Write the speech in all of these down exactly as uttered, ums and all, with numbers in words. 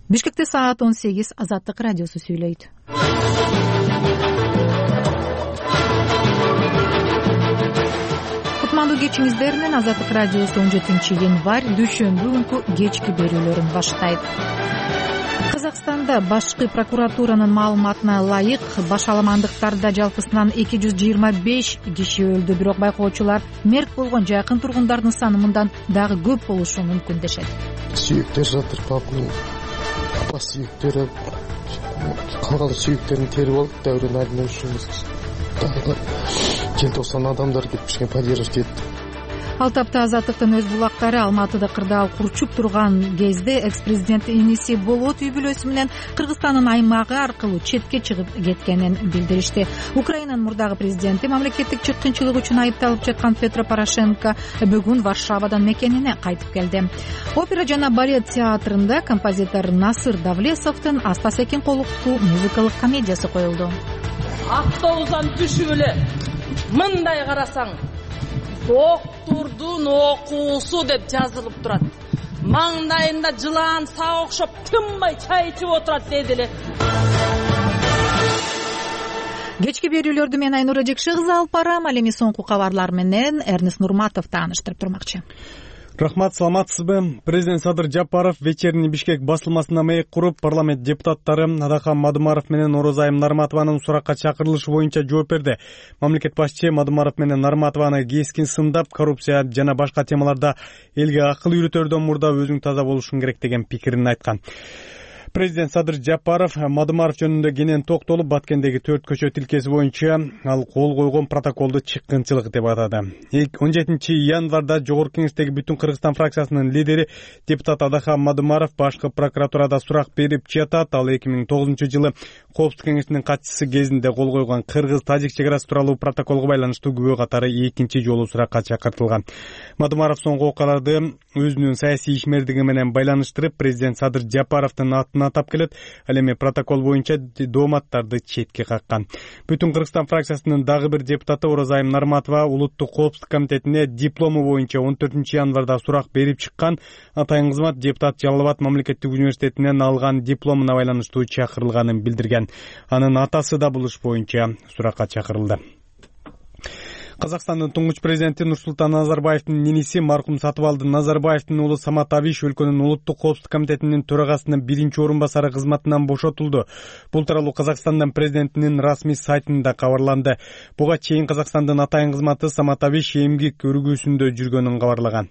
Бишкекте саат он сегиз. Азаттык радиосу сүйлөйт. Кутмандуу кечиңиздер менен Азаттык радиосу он жетинчи январь дүйшөмбү күнкү кечки берүүлөрүн баштайт. Казакстанда башкы прокуратуранын маалыматына ылайык башаламандыктарда жалпысынан эки жүз жыйырма беш киши өлдү, бирок байкоочулар мерт болгон жакын тургундардын саны мындан дагы көп болушу мүмкүн дешет. Сүйүктөр жатыр, папанын апа сүйүктөрү, калган сүйүктерин терип алып, дәурен айдынышыбыз. Дагы желтоқсан адамдар кетпишкен, поддержка кетти. Ал тапта Азаттыктын өз булактары Алматыда кырдаал курчуп турган кезде экс-президент иниси Болот үй бүлөсү менен Кыргызстандын аймагы аркылуу четке чыгып кеткенин билдиришти. Украинанын мурдагы президенти мамлекеттик чыккынчылык үчүн айыпталып жаткан Петро Порошенко бүгүн Варшавадан мекенине кайтып келди. Опера жана балет театрында композитор Насыр Давлесовдун Астас Экинкуловдун музыкалык комедиясы коюлду. Автобустан түшүп эле мындай карасаң, доктурдун окуусу деп жазылып турат. Маңдайында жылаан саа окшоп тынбай чай ичип отурат деди эле. Кечки берүүлөрдү мен Айнура Жекшекызы алып барам. Ал эми соңку кабарлар менен Эрнест Нурматов тааныштырып турмакчы. Рахмат, саламатсызбы? Президент Садыр Жапаров вечерний Бишкек басылмасына маек куруп, парламент депутаттары Адахан Мадымаров менен Орозайым Нарматованын суракка чакырылышы боюнча жооп берди. Мамлекет башчы Мадымаров менен Нарматованы кескин сындап, коррупция жана башка темаларда элге акыл үйрөтөрдөн мурда өзүң таза болушуң керек деген пикирин айткан. Президент Садыр Жапаров Мадымаров жөнүндө кенен токтолуп, Баткендеги төрт көчө тилкеси боюнча ал кол койгон протоколду чыккынчылык деп атады. он жетинчи январда Жогорку Кеңештеги Бүтүн Кыргызстан фракциясынын лидери депутат Адахан Мадымаров башкы прокуратурада сурак берип жатат. Ал эки миң тогузунчу жылы Коопсуздук кеңешинин катчысы кезинде кол койгон Кыргыз-Тажик чек арасы тууралуу протоколго байланыштуу күбө катары экинчи жолу суракка чакыртылган. Мадымаров соңку окуяларды өзүнүн саясий ишмердиги менен байланыштырып, президент Садыр Жапаровдун атын атап келет. Ал эми протокол боюнча дооматтарды четке каккан. Бүтүн Кыргызстан фракциясынын дагы бир депутаты Орозайым Нарматова улуттук коопсуздук комитетине диплому боюнча он төртүнчү январда сурак берип чыккан. Атайын кызмат депутат Жалал Абад мамлекеттик университетинен алган дипломуна байланыштуу чакырылганын билдирген. Анын атасы да бул иш боюнча суракка чакырылды. Казакстандын туңгуч президенти Нурсултан Назарбаевдин иниси маркум Сатыбалды Назарбаевдин уулу Самат Абиш өлкөнүн улуттук коопсуздук комитетинин төрагасынын биринчи орун басары кызматынан бошотулду. Бул тууралуу Казакстандын президентинин расмий сайтында кабарланды. Буга чейин Казакстандын атайын кызматы Самат Абиш эмгек өргүүсүндө жүргөнүн кабарлаган.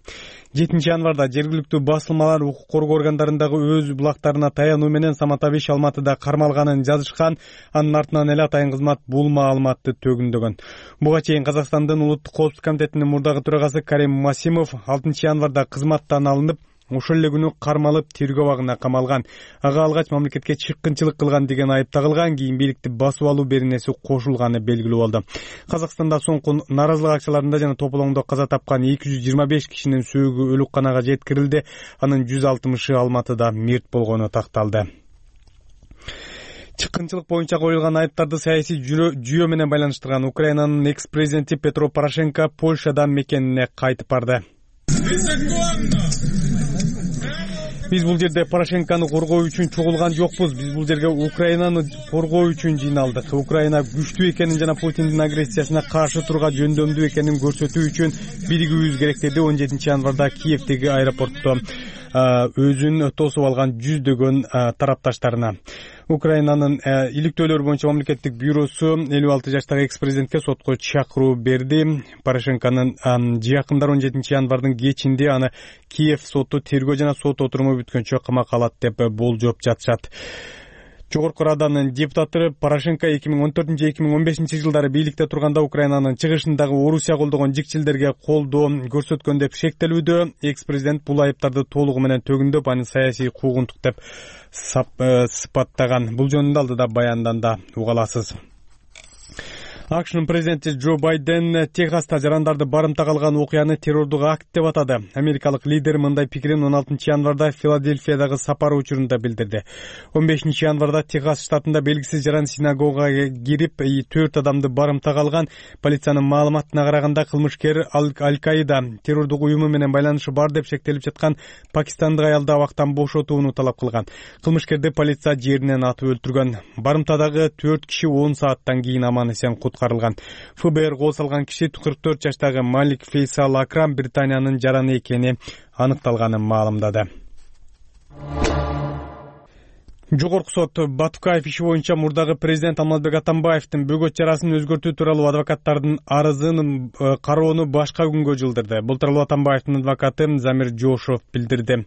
жетинчи январда жергиликтүү басылмалар укук коргоо органдарындагы өз булактарына таянуу менен Самат Абиш Алматыда кармалганын жазышкан. Анын артынан эле атайын кызмат бул маалыматты төгүндөгөн. Буга чейин Казакстандын улуттук коопсуздук комитетинин мурдагы төрагасы Карим Масимов алтынчы январда кызматтан алынып, ошол эле күнү кармалып тергөө абагына камалган. Ага алгач мамлекетке чыккынчылык кылган деген айып тагылган, кийин бийликти басып алуу беренеси кошулганы белгилүү болду. Казакстанда соңку нааразылык акцияларында жана тополоңдо каза тапкан эки жүз жыйырма беш кишинин сөөгү өлүкканага жеткирилди. Анын жүз алтымышы Алматыда мерт болгону такталды. Чыккынчылык боюнча коюлган айыптарды саясий жүйө менен байланыштырган Украинанын экс-президенти Петро Порошенко Польшадан мекенине кайтып барды. Биз бул жерде Порошенкону коргоо үчүн чогулган жокпуз. Биз бул жерге Украинаны коргоо үчүн жыйналдык. Украина күчтүү экенин жана Путиндин агрессиясына каршы турга жөндөмдүү экенин көрсөтүү үчүн биригүүбүз керек деди он жетинчи январда Киевдеги аэропортто өзүн тосуп алган жүздөгөн тарапташтарына. Украинанын иликтөөлөр боюнча мамлекеттик бюросу элүү алты жаштагы экс-президентке сотко чакыруу берди. Порошенконун жакындары он жетинчи январдын кечинде аны Киев соту тергөө жана сот отуруму бүткөнчө камакка алат деп болжоп жатышат. Жогорку Раданын депутаты Порошенко эки миң он төртүнчү эки миң он бешинчи жылдары бийликте турганда Украинанын чыгышындагы Орусия колдогон жикчилдерге колдоо көрсөткөн деп шектелүүдө. Экс-президент бул айыптарды толугу менен төгүндөп, аны саясий куугунтук деп сыпаттаган. Бул жөнүндө алдыда баянданда уга аласыз. акшнын президенти Джо Байден Техаста жарандарды барымтага алган окуяны террордук акт деп атады. Америкалык лидер мындай пикирин он алтынчы январда Филадельфиядагы сапары учурунда билдирди. он бешинчи январда Техас штатында белгисиз жаран синагогага кирип төрт адамды барымтага алган. Полициянын маалыматына караганда кылмышкер Аль-Каида террордук уюму менен байланышы бар деп шектелип жаткан пакистандык аялды абактан бошотууну талап кылган. Кылмышкерди полиция жеринен атып өлтүргөн. Барымтадагы төрт киши он сааттан кийин аман эсен куткарылган. эф бэ эр кол салган киши кырк төрт жаштагы Малик Фейсал Акрам Британиянын жараны экени аныкталганын маалымдады. Жогорку сот Батукаев иши боюнча мурдагы президент Алмазбек Атамбаевдин бөгөт чарасын өзгөртүү тууралуу адвокаттардын арызын кароону башка күнгө жылдырды. Бул тууралуу Атамбаевдин адвокаты Замир Жошов билдирди.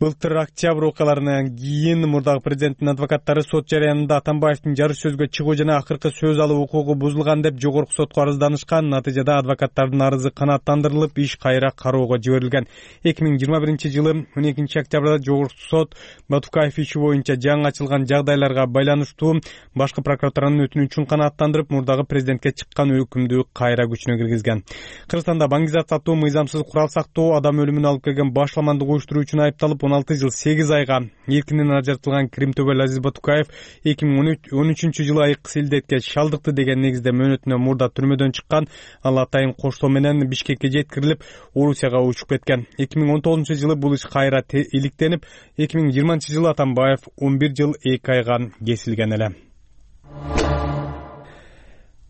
Былтыр октябрь окуяларынан кийин мурдагы президенттин адвокаттары сот жараянында Атамбаевдин жарыш сөзгө чыгуу жана акыркы сөз алуу укугу бузулган деп жогорку сотко арызданышкан. Натыйжада адвокаттардын арызы канааттандырылып, иш кайра кароого жиберилген. эки миң жыйырма биринчи жылы он экинчи октябрда жогорку сот Батукаев иши боюнча жаңы ачылган жагдайларга байланыштуу башкы прокуратуранын өтүнүчүн канааттандырып, мурдагы президентке чыккан өкүмдү кайра күчүнө киргизген. Кыргызстанда баңгизат сатуу, мыйзамсыз курал сактоо, адам өлүмүнө алып келген башламандык уюштуруу үчүн айыпталып он алты жыл сегиз айга эркинен ажыртылган Кримтөбөл Азиз Батукаев эки миң он үчүнчү жылы айыккыс илдетке шалдыкты деген негизде мөөнөтүнө мурда түрмөдөн чыккан. Ал атайын коштоо менен Бишкекке жеткирилип, Орусияга учуп кеткен. эки миң он тогузунчу жылы бул иш кайра иликтенип, эки миң жыйырманчы жылы Атамбаев он бир жыл эки айга кесилген эле.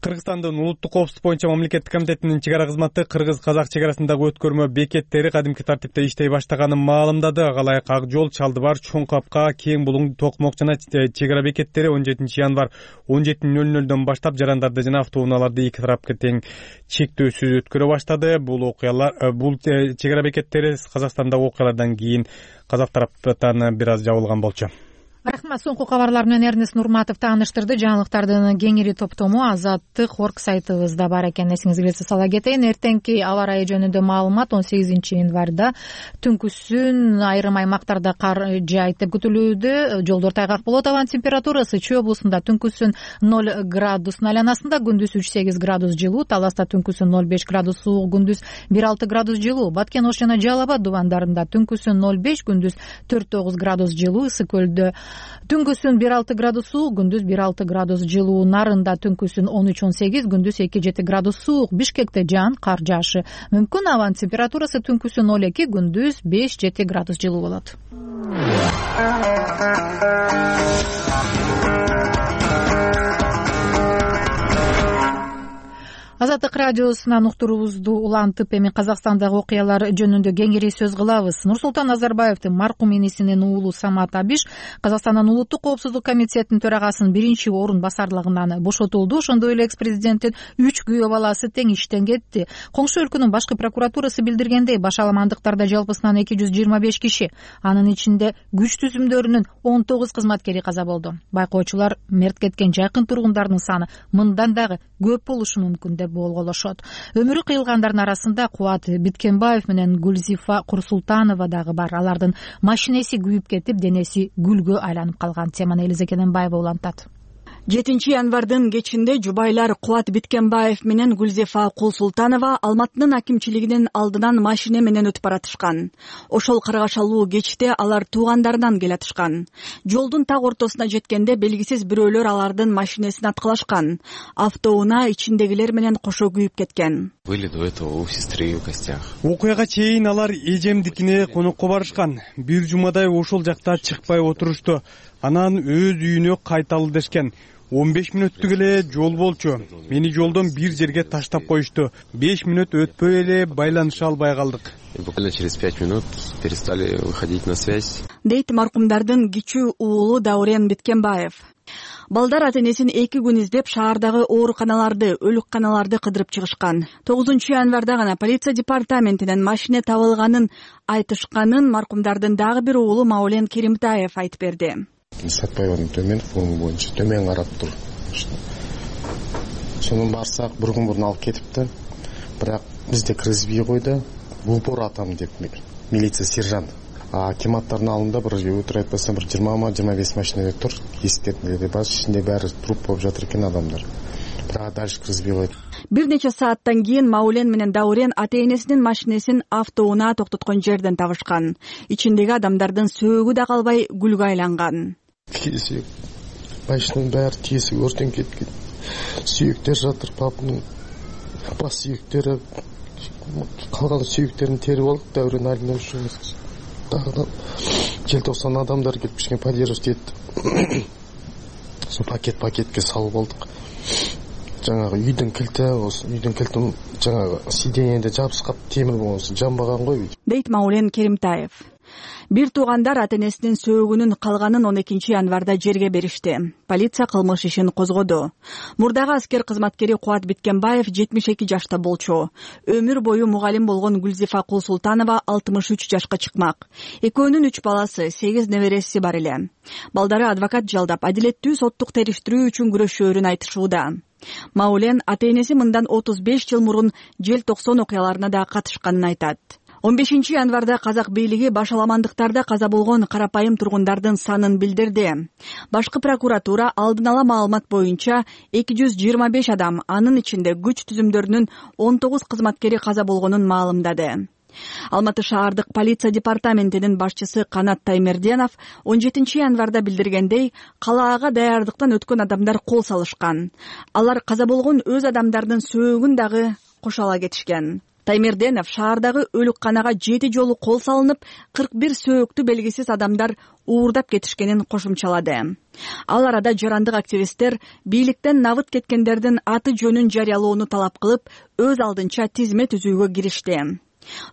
Кыргызстандын улуттук коопсуздук боюнча мамлекеттик комитетинин чек ара кызматы кыргыз-казак чек арасындагы өткөрмө бекеттери кадимки тартипте иштей баштаганын маалымдады. Агалайык Ак жол, Чалдыбар, Чоң Капка, Кең Булуң, Токмок жана чек ара бекеттери он жетинчи январь он жети нөл нөлдөн баштап жарандарды жана автоунааларды эки тарапка тең чектөөсүз өткөрө баштады. Бул окуялар, бул чек ара бекеттери Казакстандагы окуялардан кийин казак тараптан бир аз жабылган болчу. Рахмат. Соңку кабарлар менен Эрнест Нурматов тааныштырды. Жаңылыктардын кеңири топтому Азаттык орг сайтыбызда бар экен. Эсиңизге келсе сала кетейин. Эртеңки аба ырайы жөнүндө маалымат он сегизинчи январда түнкүсүн айрым аймактарда кар жаайт деп күтүлүүдө. Жолдор тайгак болот. Абанын температурасы Чүй облусунда түнкүсүн ноль градустун айланасында, күндүз үч сегиз градус жылуу, Таласта түнкүсүн ноль беш градус суук, күндүз бир алты градус жылуу, Баткен Ош жана Жалал Абад дубандарында түнкүсүн ноль беш, күндүз төрт тогуз градус жылуу, Ысык көлдө түнкүсүн бир алты градус суук, күндүз бир алты градус жылуу, Нарында түнкүсүн он үч он сегиз, күндүз эки жети градус суук, Бишкекте жаан, кар жаашы мүмкүн. Абанын температурасы түнкүсүн ноль эки, күндүз беш жети градус жылуу болот. Азаттык радиосунан уктуруубузду улантып, эми Казакстандагы окуялар жөнүндө кеңири сөз кылабыз. Нурсултан Назарбаевдин маркум энесинин уулу Самат Абиш Казакстандын улуттук коопсуздук комитетинин төрагасынын биринчи орун басарлыгынан бошотулду. Ошондой эле экс-президенттин үч күйөө баласы тең иштен кетти. Коңшу өлкөнүн башкы прокуратурасы билдиргендей, башаламандыктарда жалпысынан эки жүз жыйырма беш киши, анын ичинде күч түзүмдөрүнүн он тогуз кызматкери каза болду. Байкоочулар мерт кеткен жакын тургундардын саны мындан дагы көп болушу мүмкүн деп болголошот. Өмүрү кыйылгандардын арасында Кубат Биткенбаев менен Гүлзифа Курсултанова дагы бар. Алардын машинеси күйүп кетип, денеси гүлгө айланып калган. Теманы Элиза Кененбаева улантат. жетинчи январдын кечинде жубайлар Кубат Биткенбаев менен Гүлзифа Курсултанова Алматынын акимчилигинин алдынан машине менен өтүп баратышкан. Ошол каргашалуу кечте алар туугандарынан келатышкан. Жолдун так ортосуна жеткенде белгисиз бирөөлөр алардын машинесин аткылашкан. Автоунаа ичиндегилер менен кошо күйүп кеткен. Были до этого у сестры в гостях. Окуяга чейин алар эжемдикине конокко барышкан. Бир жумадай ошол жакта чыкпай отурушту. Анан өз үйүнө кайталы дешкен. он беш мүнөттүк эле жол болчу. Мени жолдон бир жерге таштап коюшту. беш мүнөт өтпөй эле байланыша албай калдык. Буквально через пять минут перестали выходить на связь. Дейт маркумдардын кичүү уулу Даурен Биткенбаев. Балдар ата-энесин эки күн издеп шаардагы ооруканаларды, өлүкканаларды кыдырып чыгышкан. тогузунчу январда гана полиция департаментинен машине табылганын айтышканын маркумдардын дагы бир уулу Маулен Керимтаев айтып берди. Сатпайбадын төмен форма боюнча төмен карап тур. Сонун барсак бир күн мурун алып кетипти. Бирок бизде киргизбей койду. Упор атам деп милиция сержант. А акиматтардын алдында бир өтүр айтпасам бир жыйырма жыйырма беш машина тур. Эскертмелерди бар, ичинде баары труп болуп жатыр экен адамдар. дальше киргизбей койду. Бир нече сааттан кийин Маулен менен Даурен ата энесинин машинесин автоунаа токтоткон жерден табышкан. Ичиндеги адамдардын сөөгү да калбай гүлгө айланган. Кесек машинанын баары тесиги өртөнүп кеткен. Сүйөктөр жатыр, папанын бас сүйөктөрү, калган сүйөктерин терип алдык. Даурен алине ушубуз дагы желтоқсан адамдар келип бишкен поддерживать этти. Сол пакет пакетке салып алдык. Жаңағы үйдүн килти, үйдүн килтин жаңағы сиденьеде жабышкап темир болсо жамбаган го. Дейт Маулен Керимтаев. Бир туугандар ата энесинин сөөгүнүн калганын он экинчи январда жерге беришти. Полиция кылмыш ишин козгоду. Мурдагы аскер кызматкери Кубат Биткенбаев жетимиш эки жашта болчу. Өмүр бою мугалим болгон Гүлзифа Кулсултанова алтымыш үч жашка чыкмак. Экөөнүн үч баласы, сегиз небереси бар эле. Балдары адвокат жалдап, адилеттүү соттук териштирүү үчүн күрөшөөрүн айтышууда. Маулен ата энеси мындан отуз беш жыл мурун желтоқсон окуяларына да катышканын айтат. он бешинчи январда казак бийлиги башаламандыктарда каза болгон карапайым тургундардын санын билдирди. Башкы прокуратура алдын ала маалымат боюнча эки жүз жыйырма беш адам, анын ичинде күч түзүмдөрүнүн он тогуз кызматкери каза болгонун маалымдады. Алматы шаардык полиция департаментинин башчысы Канат Таймерденов он жетинчи январда билдиргендей, калаага даярдыктан өткөн адамдар кол салышкан. Алар каза болгон өз адамдардын сөөгүн дагы кошо кетишкен. Таймерденов шаардагы өлүкканага жети жолу кол салынып, кырк бир сөөктү белгисиз адамдар уурдап кетишкенин кошумчалады. Ал арада жарандык активисттер бийликтен набыт кеткендердин аты жөнүн жарыялоону талап кылып, өз алдынча тизме түзүүгө киришти.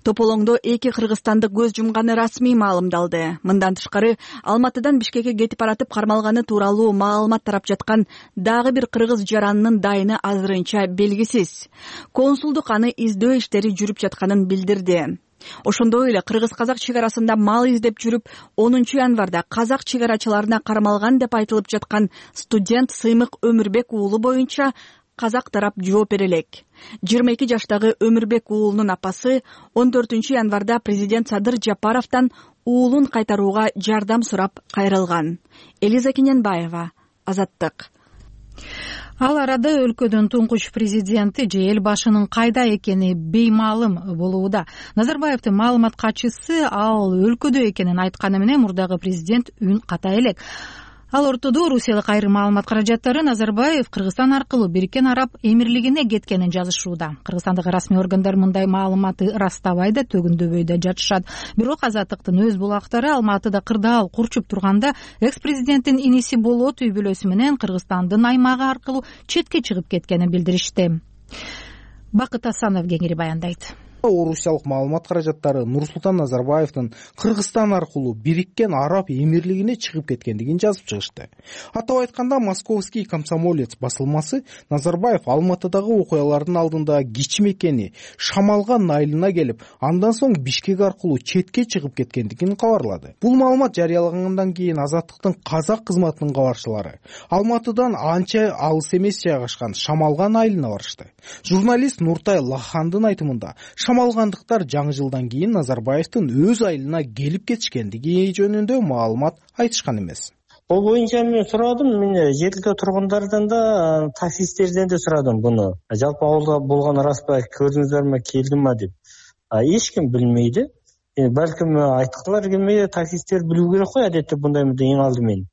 Тополоңдо эки кыргызстандык көз жумганы расмий маалымдалды. Мындан тышкары Алматыдан Бишкекке кетип баратып кармалганы тууралуу маалымат тарап жаткан дагы бир кыргыз жаранынын дайыны азырынча белгисиз. Консулдук аны издөө иштери жүрүп жатканын билдирди. Ошондой эле кыргыз-казак чек арасында мал издеп жүрүп, онунчу январда казак чек арачыларына кармалган деп айтылып жаткан студент Сыймык Өмүрбек уулу боюнча казак тарап жооп бере элек. жыйырма эки жаштагы Өмүрбек уулунун апасы он төртүнчү январда президент Садыр Жапаровдон уулун кайтарууга жардам сурап кайрылган. Элиза Кененбаева, Азаттык. Ал арада өлкөдүн туңгуч президенти же эл башынын кайда экени беймаалым болууда. Назарбаевдин маалымат катчысы ал өлкөдө экенин айтканы менен мурдагы президент үн ката элек. Ал ортодо Русиялык айрым маалымат каражаттары Назарбаев Кыргызстан аркылуу Бириккен Араб Эмирлигине кеткенин жазышууда. Кыргызстандагы расмий органдар мындай маалыматты растабай да, төгүндөбөй да жатышат. Бирок Азаттыктын өз булактары Алматыда кырдаал курчуп турганда экс-президенттин иниси Болот үй бүлөсү менен Кыргызстандын аймагы аркылуу четке чыгып кеткенин билдиришти. Бакыт Асанов кеңири баяндайт. Орусиялык маалымат каражаттары Нурсултан Назарбаевдин Кыргызстан аркылуу Бириккен Араб Эмирлигине чыгып кеткендигин жазып чыгышты. Атап айтканда, Московский комсомолец басылмасы Назарбаев Алматыдагы окуялардын алдында кичимекени Шамалган айылына келип, андан соң Бишкек аркылуу четке чыгып кеткендигин кабарлады. Бул маалымат жарыялагандан кийин Азаттыктын казак кызматынын кабарчылары Алматыдан анча алыс эмес жайгашкан Шамалган айылына барышты. Журналист Нуртай Лахандын айтымында, шамалгандыктар жаңы жылдан кийин Назарбаевдин өз айылына келип кетишкендиги жөнүндө маалымат айтышкан эмес. Бул боюнча мен сурадым, мен жердеги тургундардан да, таксисттерден да сурадым буну. Жалпы ауылда болгон рас ба, көрдүңүздөрмү, келдимби деп. Эч ким билмейди. Балким айткылар келмей, таксисттер билүү керек кой, адетте мындай эң алдымен.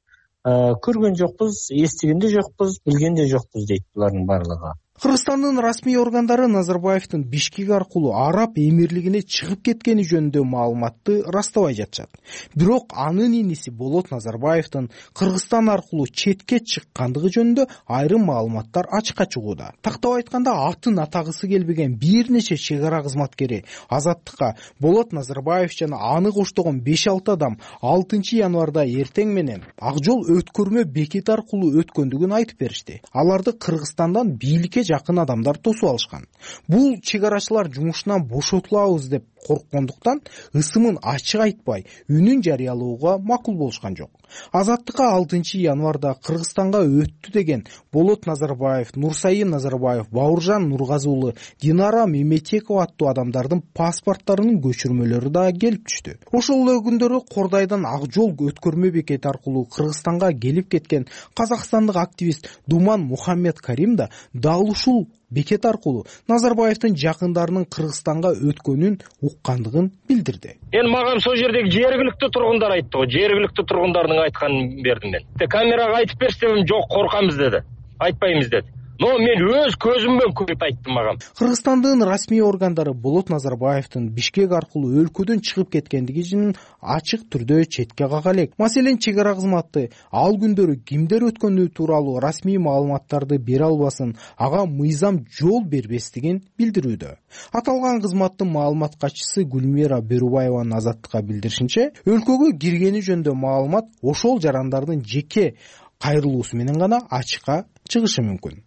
Көргөн жокпуз, эстиген да жокпуз, билген да жокпуз дейт булардын барлыгы. Кыргызстандын расмий органдары Назарбаевдин Бишкек аркылуу Араб Эмирлигине чыгып кеткени жөнүндө маалыматты растабай жатышат. Бирок анын иниси Болот Назарбаевдин Кыргызстан аркылуу четке чыккандыгы жөнүндө айрым маалыматтар ачыкка чыгууда. Тактап айтканда, атын атагысы келбеген бир нече чек ара кызматкери Азаттыкка Болот Назарбаев жана аны коштогон беш алты адам алтынчы январда эртең менен ак жол өткөрмө бекети аркылуу өткөндүгүн айтып беришти. Аларды Кыргызстандан бийликке жакын адамдар тосуп алышкан. Бул чек арачылар жумушунан бошотулабыз деп корккондуктан ысымын ачык айтпай үнүн жарыялоого макул болушкан жок. Азаттыкка алтынчы январда Кыргызстанга өттү деген Болот Назарбаев, Нурсайын Назарбаев, Бауыржан Нургазы уулу, Динара Меметекова аттуу адамдардын паспорттарынын көчүрмөлөрү да келип түштү. Ошол эле күндөрү Кордайдан Ак жол өткөрмө бекети аркылуу Кыргызстанга келип кеткен казакстандык активист Думан Мухаммед Карим да дал ушул бекет аркылуу Назарбаевдин жакындарынын Кыргызстанга өткөнүн уккандыгын билдирди. Эми мага сол жердеги жергиликтүү тургундар айтты го, жергиликтүү тургундардын айтканын бердим мен. Камерага айтып берсем, жок, коркамыз деди. Айтпайбыз деди. Но мен өз көзүмдөн көрүп айттым мага. Кыргызстандын расмий органдары Болот Назарбаевдин Бишкек аркылуу өлкөдөн чыгып кеткендигин ачык түрдө четке кага элек. Маселен, чек ара кызматы ал күндөрү кимдер өткөнү тууралуу расмий маалыматтарды бере албасын, ага мыйзам жол бербестигин билдирүүдө. Аталган кызматтын маалымат катчысы Гүлмира Берубаеванын Азаттыкка билдиришинче, өлкөгө киргени жөнүндө маалымат ошол жарандардын жеке кайрылуусу менен гана ачыкка чыгышы мүмкүн.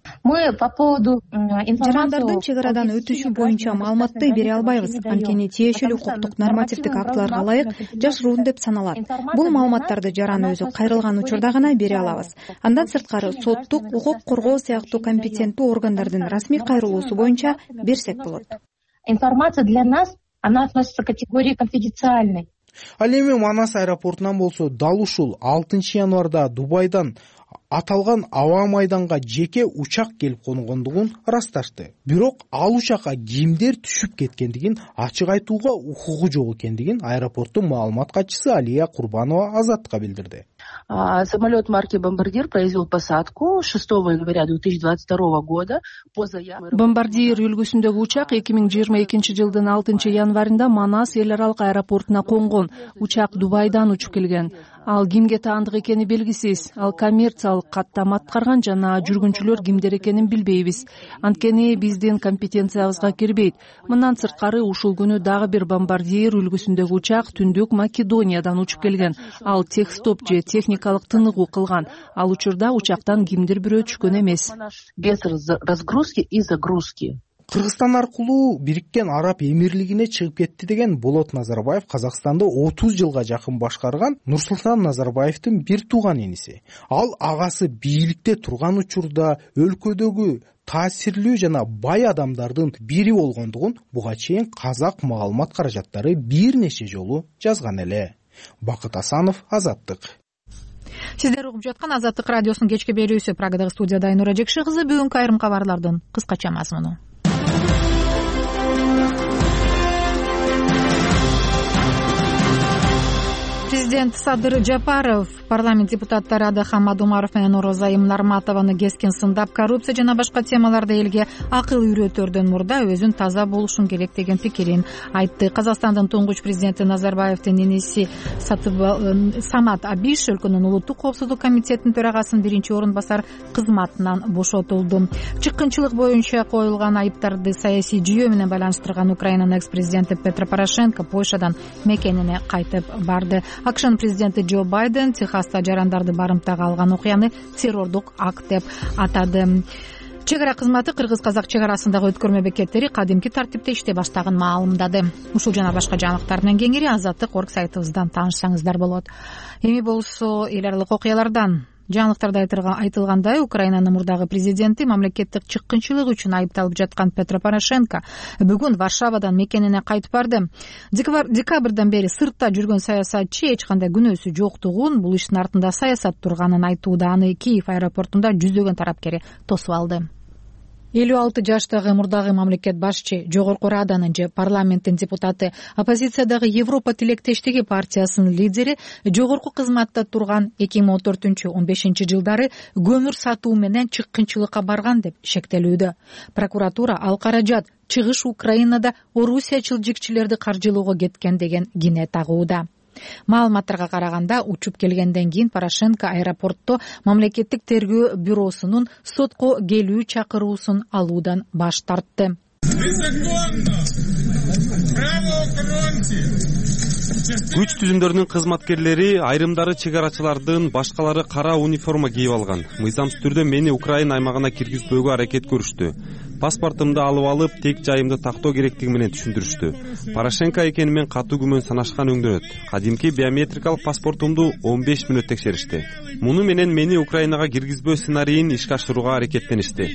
Жарандардын чек арадан өтүшү боюнча маалыматты бере албайбыз, анткени тиешелүү укуктук нормативдик актыларга ылайык жашыруун деп саналат. Бул маалыматтарды жаран өзү кайрылган учурда гана бере алабыз. Андан сырткары соттук, укук коргоо сыяктуу компетенттүү органдардын расмий кайрылуусу боюнча берсек болот. Информация для нас, она относится к категории конфиденциальной. Ал эми Манас аэропортунан болсо дал ушул алтынчы январда Дубайдан аталган аба майданга жеке учак келип конгондугун ырасташты. Бирок ал учакка кимдер түшүп кеткендигин ачык айтууга укугу жок экендигин аэропорттун маалымат катчысы Алия Курбанова Азаттыкка билдирди. Самолет марки «Бомбардир» произвел посадку шестого января две тысячи двадцать второго года по заявке. Бомбардир үлгүсүндөгү учак эки миң жыйырма экинчи жылдын алтынчы январында Манас эл аралык аэропортуна конгон. Учак Дубайдан учуп келген. Ал кимге таандык экени белгисиз. Ал коммерциялык каттам аткарган жана жүргүнчүлөр кимдер экенин билбейбиз. Анткени биздин компетенциябызга кирбейт. Мындан сырткары ушул күнү дагы бир бомбардир үлгүсүндөгү учак Түндүк Македониядан учуп келген. Ал техстоп же техникалык тыныгуу кылган. Ал учурда учактан кимдир бирөө түшкөн эмес. Без разгрузки и загрузки. Кыргызстан аркылуу Бириккен Араб Эмирлигине чыгып кетти деген Болот Назарбаев Казакстанды отуз жылга жакын башкарган Нурсултан Назарбаевдин бир тууган иниси. Ал агасы бийликте турган учурда өлкөдөгү таасирлүү жана бай адамдардын бири болгондугун буга чейин казак маалымат каражаттары бир нече жолу жазган эле. Бакыт Асанов, Азаттык. Сиздер угуп жаткан Азаттык радиосунун кечки берүүсү. Прагадагы студияда Айнура Жекши кызы. Бүгүнкү айрым кабарлардын кыскача мазмуну. Президент Садыр Жапаров парламент депутаттары Адахан Мадумаров менен Орозайым Нарматованы кескен сындап, коррупция жана башка темаларда элге акыл үйрөтөрдөн мурда өзүн таза болушун керек деген пикирин айтты. Казакстандын туңгуч президенти Назарбаевдин иниси Самат Абиш өлкөнүн улуттук коопсуздук комитетинин төрагасынын биринчи орун басар кызматынан бошотулду. Чыккынчылык боюнча коюлган айыптарды саясий жүйө менен байланыштырган Украинанын экс-президенти Петро Порошенко Польшадан мекенине кайтып барды. АКШнын президенти Джо Байден Техаста жарандарды барымтага алган окуяны террордук акт деп атады. Чек ара кызматы кыргыз-казак чек арасындагы өткөрмө бекеттери кадимки тартипте иштей баштагын маалымдады. Ушул жана башка жаңылыктар менен кеңири Азаттык орг сайтыбыздан таанышсаңыздар болот. Эми болсо эл аралык окуялардан. Жаңылыктарда айтылгандай, Украинанын мурдагы президенти мамлекеттик чыккынчылык үчүн айыпталып жаткан Петро Порошенко бүгүн Варшавадан мекенине кайтып барды. Декабрдан бери сыртта жүргөн саясатчы эч кандай күнөөсү жоктугун, бул иштин артында саясат турганын айтууда. Аны Киев аэропортунда жүздөгөн тарапкери тосуп алды. элүү алты жаштагы мурдагы мамлекет башчы, Жогорку Раданын же парламенттин депутаты, оппозициядагы Европа тилектештиги партиясынын лидери жогорку кызматта турган эки миң он төртүнчү он бешинчи жылдары көмүр сатуу менен чыккынчылыкка барган деп шектелүүдө. Прокуратура ал каражат чыгыш Украинада орусиячыл жикчилерди каржылоого кеткен деген кине тагууда. Маалыматтарга караганда, учуп келгенден кийин Порошенко аэропортто мамлекеттик тергөө бюросунун сотко келүү чакыруусун алуудан баш тартты. Күч түзүмдөрүнүн кызматкерлери, айрымдары чек арачылардын, башкалары кара униформа кийип алган. Мыйзамсыз түрдө мени Украина аймагына киргизбөөгө аракет көрүштү. паспортумду алып алып тек жайымды тактоо керектиги менен түшүндүрүштү. Порошенко экени мен катуу күмөн санашкан өңдөрөт. Кадимки биометрикалык паспортумду он беш мүнөт текшеришти. Муну менен мени Украинага киргизбөө сценарийин ишке ашырууга аракеттеништи.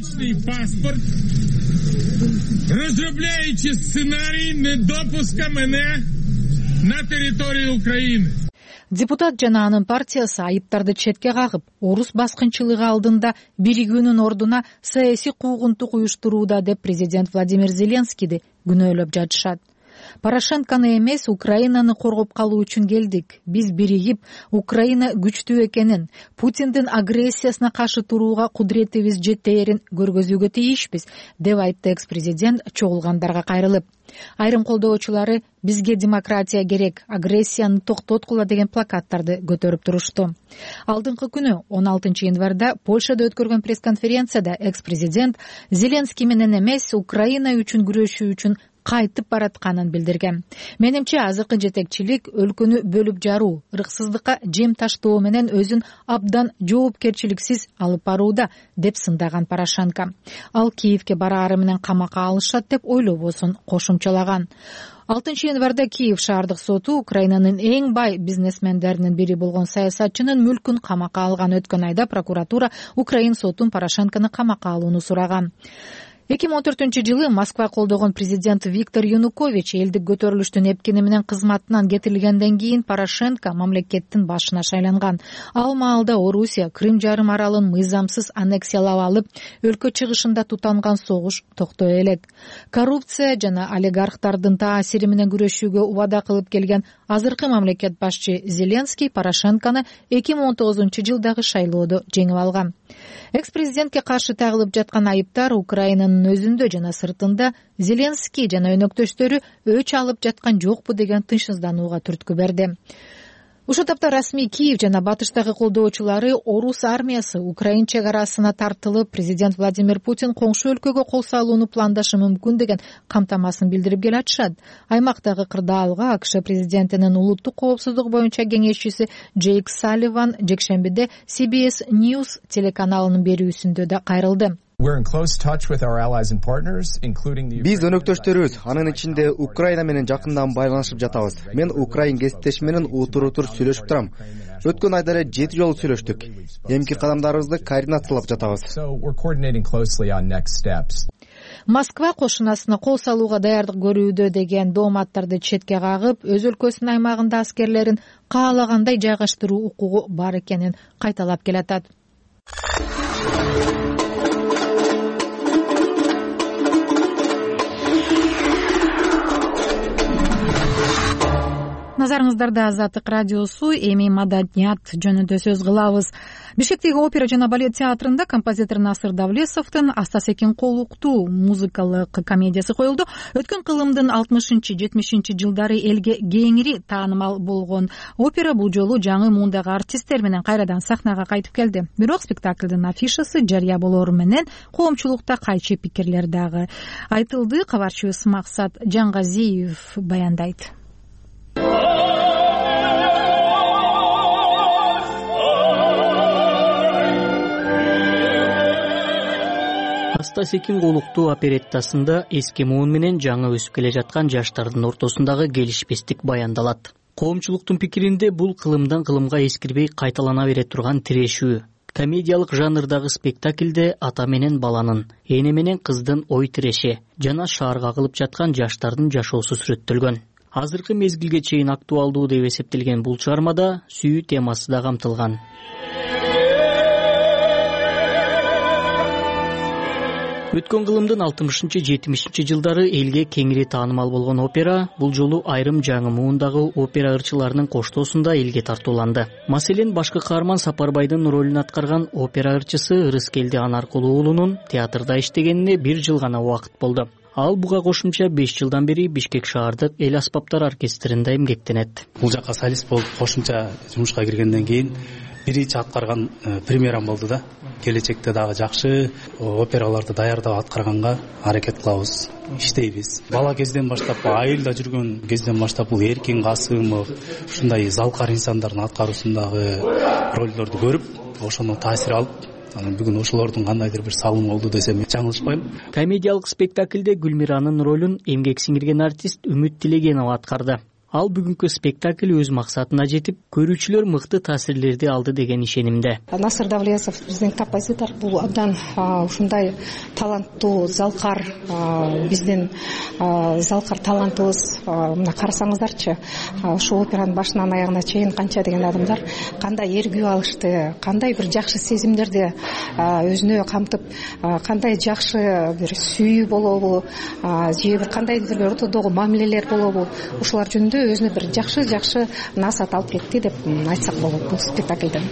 Разробляючи сценарий недопуска мене на территорию Украины. Депутат жана анын партиясы айыптарды четке кагып, орус баскынчылыгы алдында биригүүнүн ордуна саясий куугунтук уюштурууда деп президент Владимир Зеленскийди күнөөлөп жатышат. Порошенкону эмес, Украинаны коргоп калуу үчүн келдик. Биз биригип, Украина күчтүү экенин, Путиндин агрессиясына каршы турууга кудуретибиз жетээрин көргөзүүгө тийишпиз, деп айтты экс-президент чогулгандарга кайрылып. Айрым колдоочулары бизге демократия керек, агрессияны токтоткула деген плакаттарды көтөрүп турушту. Алдыңкы күнү он алтынчы январда Польшада өткөргөн пресс-конференцияда экс-президент Зеленский менен эмес, Украина үчүн күрөшүү үчүн кайтып баратканын билдирген. Менимче азыркы жетекчилик өлкөнү бөлүп жаруу, ырксыздыкка жем таштоо менен өзүн абдан жоопкерчиликсиз алып барууда, деп сындаган Порошенко. Ал Киевке бараары менен камакка алышат деп ойлобосун кошумчалаган. алтынчы январда Киев шаардык соту Украинанын эң бай бизнесмендеринин бири болгон саясатчынын мүлкүн камакка алган. Өткөн айда прокуратура Украин сотун Порошенкону камакка алууну сураган. эки миң он төртүнчү жылы Москва колдогон президент Виктор Янукович элдик көтөрүлүштүн эпкени менен кызматынан кетирилгенден кийин Порошенко мамлекеттин башына шайланган. Ал маалда Орусия Крым жарым аралын мыйзамсыз аннексиялап алып, өлкө чыгышында тутанган согуш токтой элек. Коррупция жана олигархтардын таасири менен күрөшүүгө убада кылып келген азыркы мамлекет башчы Зеленский Порошенкону эки миң он тогузунчу жылдагы шайлоодо жеңип алган. Экс-президентке каршы тагылып жаткан айыптар Украинанын өзүндө жана сыртында Зеленский жана өнөктөштөрү өч алып жаткан жокпу деген тынчсызданууга түрткү берди. Ушул тапта расмий Киев жана батыштагы колдоочулары орус армиясы Украин чек арасына тартылып, президент Владимир Путин коңшу өлкөгө кол салууну пландашы мүмкүн деген камтамасын билдирип келатышат. Аймактагы кырдаалга АКШ президентинин улуттук коопсуздук боюнча кеңешчиси Джейк Салливан жекшембиде Си Би Эс News телеканалынын берүүсүндө да кайрылды. Биз өнөктөштөрүбүз, анын ичинде Украина менен жакындан байланышып жатабыз. Мен украин кесиптешим менен утур-утур сүйлөшүп турам. Өткөн айда эле жети жолу сүйлөштүк. Эмки кадамдарыбызды координациялап жатабыз. Москва кошунасына кол салууга даярдык көрүүдө деген дооматтарды четке кагып, өз өлкөсүнүн аймагында аскерлерин каалагандай жайгаштыруу укугу бар экенин кайталап келатат. Назарыңыздарда Азаттык радиосу, эми маданият жөнүндө сөз кылабыз. Бишкектеги опера жана балет театрында композитор Насыр Давлесовдун Астасекин колуктуу музыкалык комедиясы коюлду. Өткөн кылымдын алтымышынчы жетимишинчи жылдары элге кеңири таанымал болгон опера бул жолу жаңы муундагы артисттер менен кайрадан сахнага кайтып келди. Бирок спектаклдын афишасы жарыя болоору менен коомчулукта кайчы пикирлер дагы айтылды. Кабарчыбыз Максат Жангазиев баяндайт. Астасекин колуктуу опереттасында эски муун менен жаңы өсүп келе жаткан жаштардын ортосундагы келишпестик баяндалат. Коомчулуктун пикиринде бул кылымдан кылымга эскирбей кайталана бере турган тирешүү. Комедиялык жанрдагы спектаклде ата менен баланын, эне менен кыздын ой тиреши жана шаарга кылып жаткан жаштардын жашоосу сүрөттөлгөн. Азыркы мезгилге чейин актуалдуу деп эсептелген бул чыгармада сүйүү темасы да камтылган. Өткөн кылымдын алтымышынчы жетимишинчи жылдары элге кеңири таанымал болгон опера бул жолу айрым жаңы муундагы опера ырчыларынын коштоосунда элге тартууланды. Маселен, башкы каарман Сапарбайдын ролун аткарган опера ырчысы Ырыскелди Анаркулуу уулунун театрда иштегенине бир жыл гана убакыт болду. Ал буга кошумча беш жылдан бери Бишкек шаардык эл аспаптар оркестринде эмгектенет. Бул жака солист болуп кошумча жумушка киргенден кийин биринчи аткарган премьерам болду да. Келечекте дагы жакшы операларды даярдап аткарганга аракет кылабыз, иштейбиз. Бала кезден баштап, айылда жүргөн кезден баштап бул Эркин Касымов ушундай залкар инсандардын аткаруусундагы ролдорду көрүп, ошону таасир алып анан бүгүн ошолордун кандайдыр бир салымы болду десем жаңылышпайм. Комедиялык спектакльде Гүлмиранын ролун эмгек сиңирген артист Үмүт Тилегенова аткарды. Ал бүгүнкү спектакль өз максатына жетип, көрүүчүлөр мыкты таасирлерди алды деген ишенимде. Насыр Давлесов биздин композитор, бул абдан ушундай таланттуу, залкар, биздин залкар талантыбыз. Мына карасаңыздарчы, ушу операнын башынан аягына чейин канча деген адамдар кандай эргүү алышты, кандай бир жакшы сезимдерди өзүнө камтып, кандай жакшы бир сүйүү болобу, же бир кандайдыр бир ортодогу мамилелер болобу, ушулар жөнүндө өзүнө бир жакшы жакшы насаат алып кетти деп айтсак болот бул спектакльден.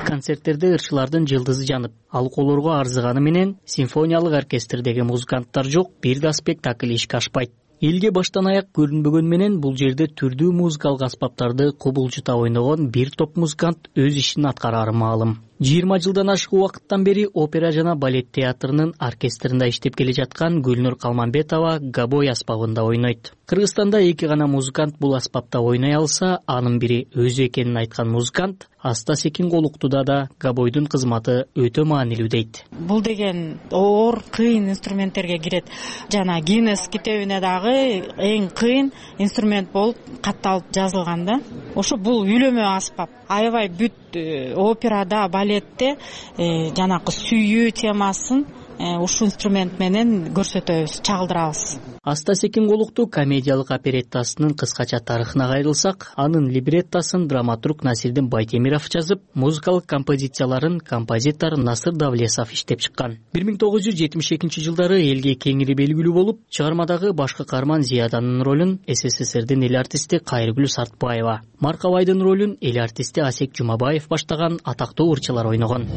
Концерттерде ырчылардын жылдызы жанып, алкоолорго арзыганы менен симфониялык оркестрдеги музыканттар жок, бир да спектакль ишке ашпайт. Элге баштан аяк көрүнбөгөн менен бул жерде түрдүү музыкалык аспаптарды кубулжута ойногон бир топ музыкант өз ишин аткарары маалым. жыйырма жылдан ашык убакыттан бери опера жана балет театрынын оркестринде иштеп келе жаткан Гүлнур Калманбетова габой аспабында ойнойт. Кыргызстанда эки гана музыкант бул аспапта ойной алса, анын бири өзү экенин айткан музыкант Аста Секин Голуктуда да габойдун кызматы өтө маанилүү дейт. Бул деген оор, кыйын инструменттерге кирет. Жана Гиннес китебине дагы эң кыйын инструмент болуп катталып жазылган да. Ошо бул үйлөмө аспап. Аябай бүт операда, балетте жанакы сүйүү темасын ушул инструмент менен көрсөтөбүз, чагылдырабыз. Аста Секин Голукту комедиялык опереттасынын кыскача тарыхына кайрылсак, анын либреттосын драматург Насирдин Байтемиров жазып, музыкалык композицияларын композитор Насыр Давлесов иштеп чыккан. бир миң тогуз жүз жетимиш экинчи жылдары элге кеңири белгилүү болуп, чыгармадагы баш каарман Зияданын ролун СССРдин эл артисти Кайргүл Сартбаева, Маркабайдын ролун эл артисти Асек Жумабаев баштаган атактуу ырчылар ойногон.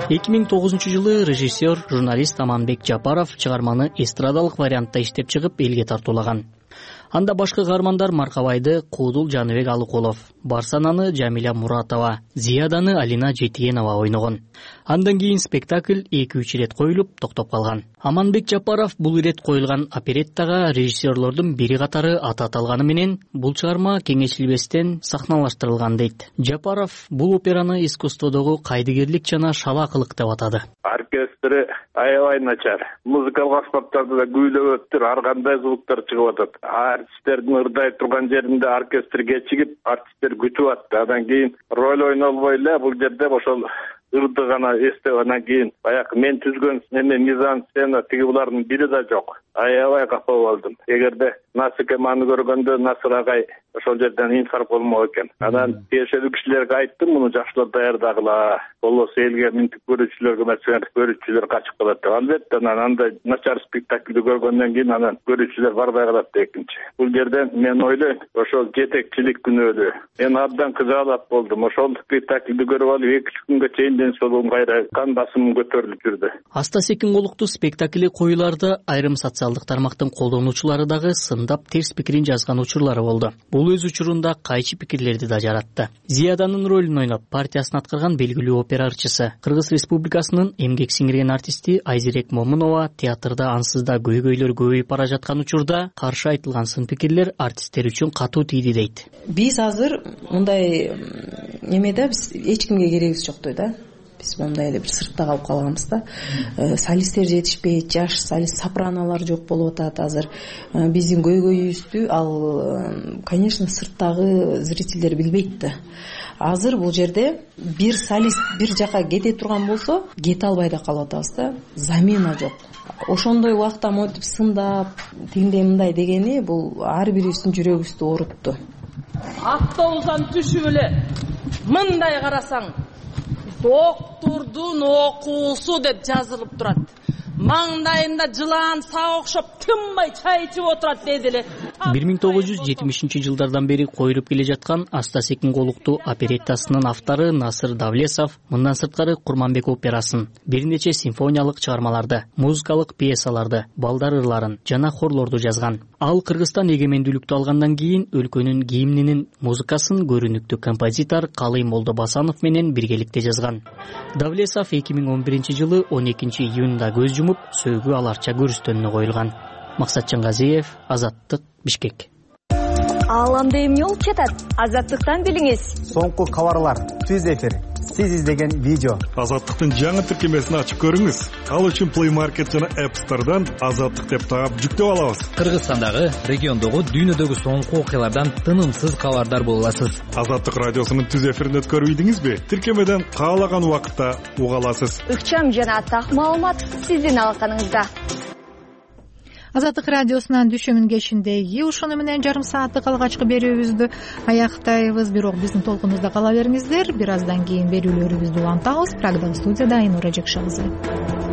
эки миң тогузунчу жылы режиссер, журналист Аманбек Жапаров чыгарманы эстрадалык вариантта иштеп чыгып элге тартуулаган. Анда башкы каармандар Маркабайды Куудул Жаныбек Алыкулов, Барсананы Жамиля Муратова, Зияданы Алина Жетигенова ойногон. Андан кийин спектакль эки үч ирет коюлуп токтоп калган. Аманбек Жапаров бул ирет коюлган опереттага режиссерлордун бири катары аты аталганы менен бул чыгарма кеңешилбестен сахналаштырылган дейт. Жапаров бул операны искусстводогу кайдыгерлик жана шалаакылык деп атады. Оркестри аябай начар. Музыкалык аспаптарды да күүлөп өттүр, ар кандай звуктар чыгып атат. Артисттердин ырдай турган жеринде оркестр кечигип, артисттер күтүп атты. Андан кийин роль ойнолбой эле бул жерде ошол ырды гана эстеп, андан кийин баягы мен түзгөн эме мизансцена тиги булардын бири да жок. Аябай капа болдум. Эгерде Насык эманы көргөндө Насыр агай ошол жерден инфаркт болмок экен. Анан тиешелүү кишилерге айттым, муну жакшылап даярдагыла. Болбосо элге минтип көрүүчүлөргө маселен көрүүчүлөр качып калат деп. Албетте анан андай начар спектакльди көргөндөн кийин анан көрүүчүлөр барбай калат да экинчи. Бул жерден мен ойлойм, ошол жетекчилик күнөөлүү. Мен абдан кызаалап болдум. Ошол спектакльди көрүп алып эки үч күнгө чейин ден соолугум кайра кан басымым көтөрүлүп жүрдү. Аста Секин Голукту спектакли коюларда айрым социалдык тармактын колдонуучулары дагы сындап терс пикирин жазган учурлары болду. Бул өз учурунда кайчы пикирлерди да жаратты. Зияданын ролун ойноп, партиясын аткарган белгилүү опера ырчысы, Кыргыз Республикасынын эмгек сиңирген артисти Айзерек Момунова театрда ансыз да көйгөйлөр көбөйүп бара жаткан учурда каршы айтылган сын пикирлер артисттер үчүн катуу тийди дейт. Биз азыр мындай эмеде биз эч кимге керегибиз жок да. Биз мындай эле бир сыртта калып калганбыз да. Солисттер жетишпейт, жаш солист, сопраналар жок болуп атат азыр. Биздин көйгөйүбүздү ал, конечно, сырттагы зрительдер билбейт да. Азыр бул жерде бир солист бир жака кете турган болсо, кете албай да калып атабыз да. Замена жок. Ошондой убакта монтип сындап, тигиндей мындай дегени бул ар бирибиздин жүрөгүбүздү оорутту. Автобустан түшүп эле мындай карасаң, доктурдун окуусу деп жазылып турат. Маңдайында жылан саа окшоп тынбай чай ичип отурат деди эле. бир миң тогуз жүз жетимишинчи жылдардан бери коюлуп келе жаткан Аста Секин Голукту опереттасынын автору Насыр Давлесов мындан сырткары Курманбек операсын, бир нече симфониялык чыгармаларды, музыкалык пьесаларды, балдар ырларын жана хорлорду жазган. Ал Кыргызстан эгемендүүлүктү алгандан кийин өлкөнүн гимнинин музыкасын көрүнүктүү композитор Калый Молдобасанов менен биргеликте жазган. Давлесов эки миң он биринчи жылы он экинчи июнда көз жумуп, сөөгү аларча көрүстөнүнө коюлган. Максат Жангазиев, Азаттык, Бишкек. Ааламда эмне болуп жатат? Азаттыктан билиңиз. Соңку кабарлар, түз эфир, сиз издеген видео. Азаттыктын жаңы тиркемесин ачып көрүңүз. Ал үчүн Play Market жана App Store'дан Азаттык деп таап жүктөп алабыз. Кыргызстандагы, региондогу, дүйнөдөгү соңку окуялардан тынымсыз кабардар боло аласыз. Азаттык радиосунун түз эфирин өткөрүп ийдиңизби? Тиркемеден каалаган убакытта уга аласыз. Ыкчам жана так маалымат сиздин алаканыңызда. Азаттык радиосунан дүйшөмүн кечиндеги ушуну менен жарым сааттык алгачкы берүүбүздү аяктайбыз. Бирок биздин толкунубузда кала бериңиздер. Бир аздан кийин берүүлөрүбүздү улантабыз. Программа студияда Айнура Жекшебай.